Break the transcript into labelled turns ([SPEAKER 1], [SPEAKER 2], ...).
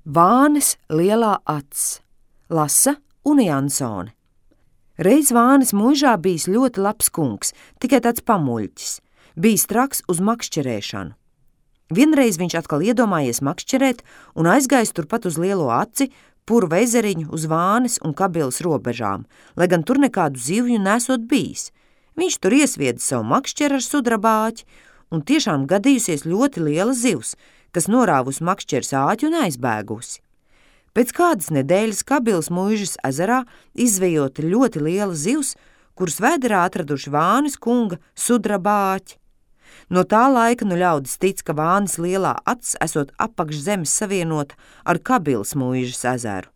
[SPEAKER 1] Vānes lielā acs. Lasa Une Jansone. Reiz Vānes muižā bijis ļoti labs kungs, tikai tāds pamuļķis. Bijis traks uz makšķerēšanu. Vienreiz viņš atkal iedomājies makšķerēt un aizgājis turpat uz lielo aci, Purva ezeriņu uz Vānes un Kabilas robežām, lai gan tur nekādu zivju nesot bijis. Viņš tur iesviedis savu makšķeru ar sudraba āķi, un tiešām gadījusies ļoti liela zivs, kas norāvusi makšķeres āķi un aizbēgusi. Pēc kādas nedēļas Kabilas muižas ezerā izzvejota ļoti liela zivs, kuras vēderā atraduši Vānes kunga sudraba āķi. No tā laika ļaudis tic, ka Vānes lielā acs esot apakš zemes savienota ar Kabilas muižas ezeru.